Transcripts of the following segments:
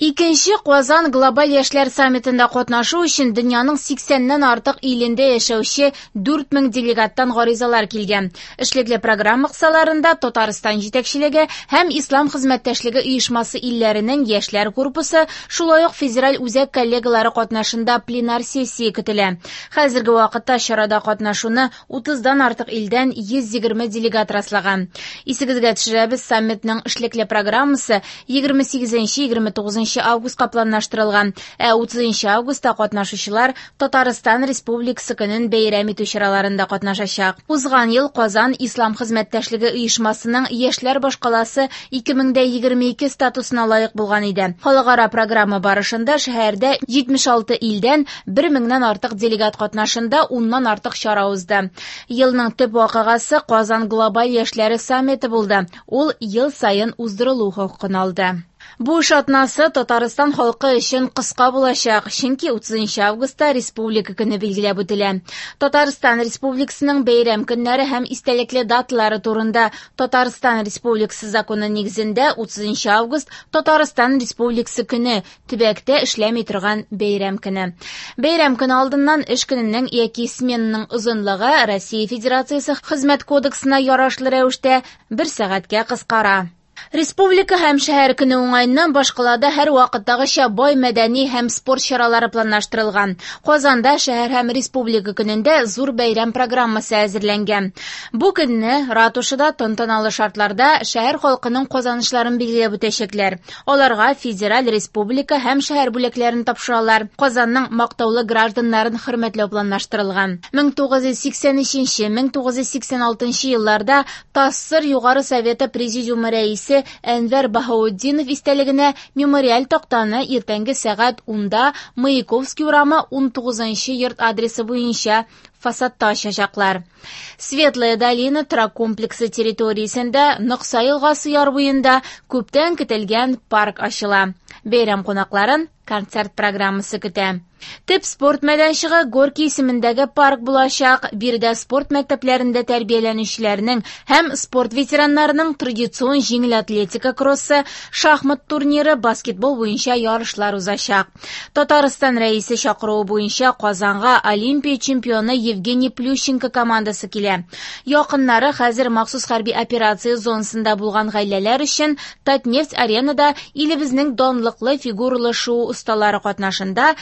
Икенче Казан глобаль яшьләр саммитында катнашу өчен дөньяның 80-нән артык илендә яшәүче 4000 делегаттан гаризалар килгән. Эшлекле программа кысаларында Татарстан җитәкчелеге һәм Ислам хезмәттәшлеге оешмасы илләренең яшьләр корпусы, шулай ук федераль үзәк коллегалары катнашында пленар сессия көтелә. Хәзерге вакытта чарада катнашуны 30-дан артык илдән 120 делегат раслаган. Исегезгә төшерәбез, саммитның эшлекле программасы 28-29 августка планлаштырылган, ә 30 августта катнашучылар Татарстан Республикасы көнен бәйрәм итү чараларында катнашачак. Узган ел Казан Ислам хезмәттәшлеге оешмасының яшьләр башкаласы 2022 статусына лаек булган иде. Халыкара программа барышында шәһәрдә 76 илдән 1000-нән артык делегат катнашында 10-нан артык чара узды. Елның төп вакыйгасы Казан глобаль яшьләре саммиты булды. Ул ел саен уздырылу хокукын алды. Бу эш атнасы Татарстан халкы өчен кыска булачак, чөнки 30 августта Республика көне билгеләп үтелә. Татарстан Республикасының бәйрәм көннәре һәм истәлекле даталары турында Татарстан Республикасы законы нигезендә 30 август Татарстан Республикасы көне, төбәктә эшләми торган бәйрәм көне. Бәйрәм көне алдыннан эш көненең яки сменаның озынлыгы Россия Федерациясе Хезмәт кодексына ярашлы рәвештә бер сәгатькә кыскара. Республика һәм шәһәр көне уңаеннан башкалада һәр вакыттагыча бай мәдәни һәм спорт чаралары планлаштырылган. Казанда шәһәр һәм республика көнендә зур бәйрәм программасы әзерләнгән. Бу көнне ратушада тантаналы шартларда шәһәр халкының казанышларын билгеләп үтәчәкләр. Аларга федераль, республика һәм шәһәр бүләкләрен тапшыралар. Казанның мактаулы гражданнарын хөрмәтләү планлаштырылган. 1983-1986 елларда ТАССР Югары Советы Президиумы рәисе Әнвәр Баһаутдинов истәлегенә мемориаль тактаны иртәнге сәгать 10-да Маяковский урамы 19 йорт адресы буенча фасадта ачачаклар. Светлая долина торак комплексы территориясендә Нокса елгасы яр буенда күптән көтелгән парк ачыла. Бәйрәм кунакларын концерт программасы көтә. Төп спорт мәйданчыгы Горький исемендәге парк булачак. Биредә спорт мәктәпләрендә тәрбияләнүчеләрнең һәм спорт ветераннарының традицион җиңел атлетика кроссы, шахмат турниры, баскетбол буенча ярышлар узачак. Татарстан рәисе чакыруы буенча Казанга Олимпия чемпионы Евгений Плющенко командасы килә. Якыннары хәзер махсус хәрби операция зонасында булган гаиләләр өчен Татнефть-аренада илебезнең данлыклы фигуралы шуу осталары катнашында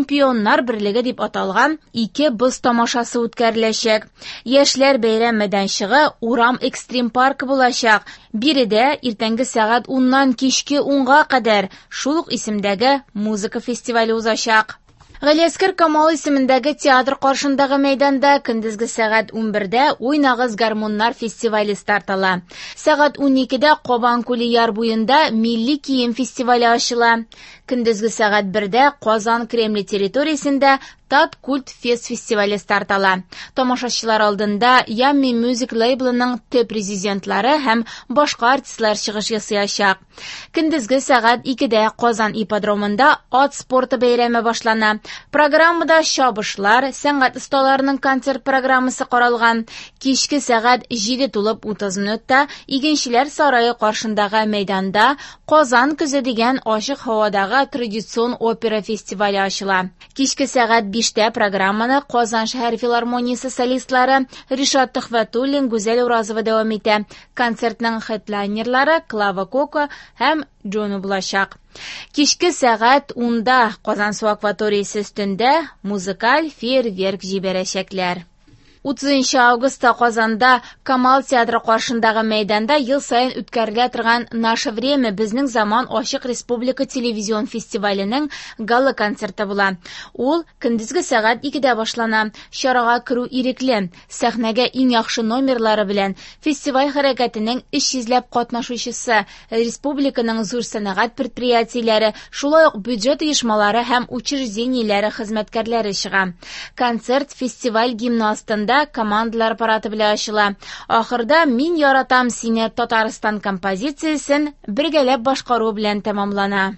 Чемпионнар берлеге дип аталган ике боз тамашасы үткәреләчәк. Яшьләр бәйрәм мәйданчыгы урам экстрим паркы булачак. Биредә иртәнге сәгать 10-нан кичке 10-га кадәр шул ук исемдәге музыка фестивале узачак. Галиәсгар Камал исемендәге театр каршындагы мәйданда көндезге сәгать 11-дә Уйнагыз гармуннар фестивале старт ала. Сәгать 12-дә Кабан күле яр буенда милли кием фестивале ачыла. Көндезге сәгать 1-дә Казан Кремле территориясендә Тат Культ Фест фестивале старт ала. Тамашачылар алдында Yummy Music лейблының төп резидентлары һәм башка артистлар чыгыш ясаячак. Көндезге сәгать 2-дә Казан ипподромында ат спорты бәйрәме башлана. Программада чабышлар, сәнгать осталарының концерт программасы каралган. Кичке сәгать 7:30 минутта Игенчеләр сарае каршындагы мәйданда Казан көзе дигән ачык һавадагы традицион опера фестивале ачыла. Кичке сәгать 5-тә программаны Казан шәһәр филармониясе солистлары Ришат Төхвәтуллин, Гүзәл Уразова дәвам итә. Концертның хедлайнерлары Клава Кока һәм Джону булачак. Кичке сәгать 10-да Казансу акваториясе өстендә музыкаль фейерверк җибәрәчәкләр. 30 августта Казанда Камал театры каршындагы мәйданда ел саен үткәрелә торган Наше время безнең заман ачык республика телевизион фестиваленең гала-концерты була. Ул көндезге сәгать 2-дә башлана. Чарага керү ирекле. Сәхнәгә иң яхшы номерлары белән фестиваль хәрәкәтенең 300ләп катнашучысы, республиканың зур сәнәгать предприятиеләре, шулай ук бюджет оешмалары һәм учреждениеләре хезмәткәрләре чыга. Концерт фестиваль гимны астында командалар парады белән ачыла. Ахырда Мин яратам сине Татарстан композициясен бергәләп башкару белән тәмамлана.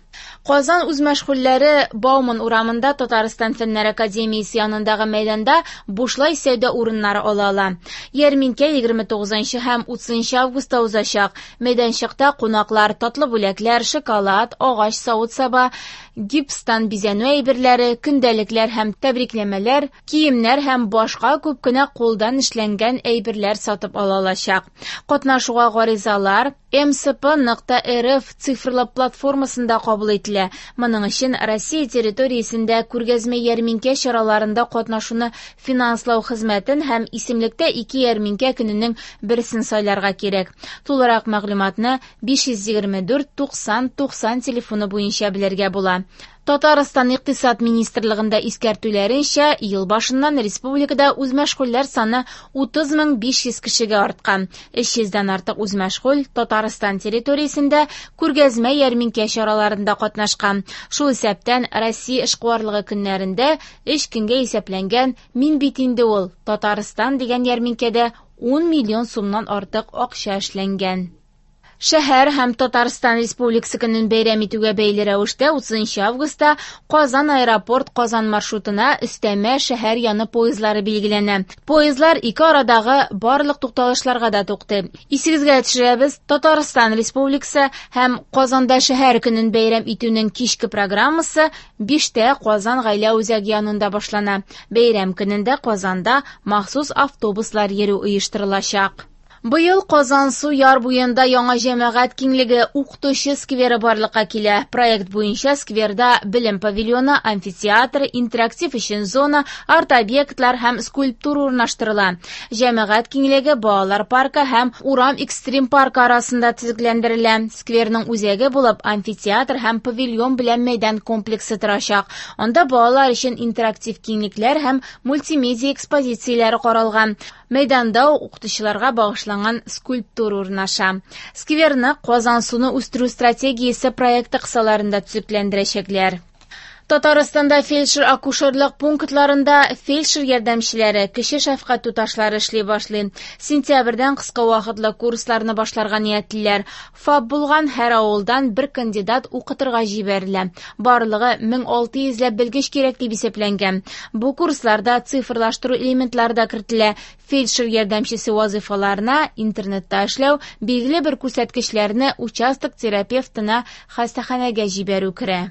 Казан үзмәшгульләре Бауман урамында Татарстан Фәннәр академиясе янындагы мәйданда бушлай сәүдә урыннары ала ала. Ярминкә 29 һәм 30 августта узачак. Мәйданчыкта кунаклар татлы бүләкләр, шоколад, агач савыт-саба, гипстан бизәнү әйберләре, көндәлекләр һәм тәбрикләмәләр, киемнәр һәм башка күп кенә кулдан эшләнгән әйберләр сатып ала алачак. Катнашуга гаризалар mcp.rf цифрлы платформасында кабул ителә. Моның өчен Россия территориясендә күргәзмә-ярминкә чараларында катнашуны финанслау хезмәтен һәм исемлектә ике ярминкә көненең берсен сайларга кирәк. Тулырак мәгълүматны 524 90 90 телефоны буенча белергә була. Татарстан Икътисад министрлыгында искәртүләренчә, ел башыннан республикада үзмәшгульләр саны 30 500 кешегә арткан. 300дән артык үзмәшгуль Татарстан территориясендә күргәзмә ярминкә чараларында катнашкан. Шул исәптән Россия эшкуарлыгы көннәрендә 3 көнгә исәпләнгән «Мин бит инде ул Татарстан» дигән ярминкәдә 10 миллион сумнан артык акча эшләнгән. Шәһәр һәм Татарстан Республикасы көнен бәйрәм итүгә бәйле рәвештә 30 августта Казан аэропорт Казан маршрутына өстәмә шәһәр яны поездлары билгеләнә. Поездлар ике арадагы барлык тукталышларга да туктый. Исегезгә төшерәбез, Татарстан Республикасы һәм Казанда шәһәр көнен бәйрәм итүнең кичке программасы 5тә Казан гаилә үзәге янында башлана. Бәйрәм көнендә Казанда махсус автобуслар йөрү оештырылачак. Быел Казансу яр буенда яңа җәмәгать киңлеге Укытучы скверы барлыкка килә. Проект буенча скверда белем павильоны, амфитеатр, интерактив өчен зона, арт-объектлар һәм скульптура урнаштырыла. Җәмәгать киңлеге балалар паркы һәм урам экстрим паркы арасында төзекләндерелә. Скверның үзәге булып амфитеатр һәм павильон белән мәйдан комплексы торачак. Анда балалар өчен интерактив киңлекләр һәм мультимедиа экспозицияләре каралган. Мәйданда укытучыларга багышланган скульптура урнаша. Скверны Казансуны үстерү стратегиясе проекты кысаларында төзекләндерәчәкләр. Татарстанда фельдшер-акушерлык пунктларында фельдшер ярдәмчеләре, кече шәфкать туташлары эшли башлый. Сентябрьдән кыска вакытлы курсларны башларга ниятлиләр. ФАП булган һәр авылдан бер кандидат укытырга җибәрелә. Барлыгы 1600 ләп белгеч кирәк дип исәпләнгән. Бу курсларда цифрлаштыру элементлары да кертелә. Фельдшер ярдәмчесе вазыйфаларына интернетта эшләү, билгеле бер күрсәткечләрне участок терапевтына хастаханәгә җибәрү керә.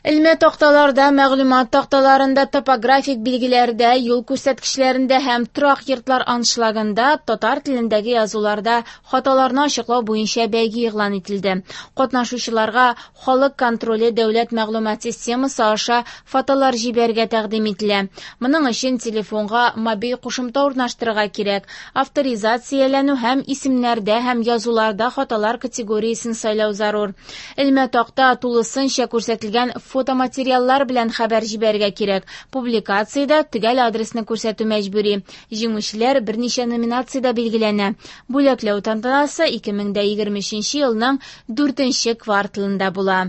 Элмә такталарда, мәгълүмат такталарында, топографик билгеләрдә, юл күрсәткечләрендә һәм торак йортлар аншлагында татар телендәге язуларда хаталарны ачыклау буенча бәйге игълан ителде. Катнашучыларга Халык контроле дәүләт мәгълүмат системасы аша фотолар җибәрергә тәкъдим ителә. Моның өчен телефонга мобиль кушымта урнаштырырга кирәк. Авторизацияләнү һәм исемнәрдә һәм язуларда хаталар категориясен сайлау зарур. Элмә такта тулысынча күрсәтелгән фотоматериаллар белән хәбәр җибәрергә кирәк. Публикациядә төгәл адресны күрсәтү мәҗбүри. Җиңүчеләр берничә номинациядә билгеләнә. Бүләкләү тантанасы 2023 елның 4 кварталында була.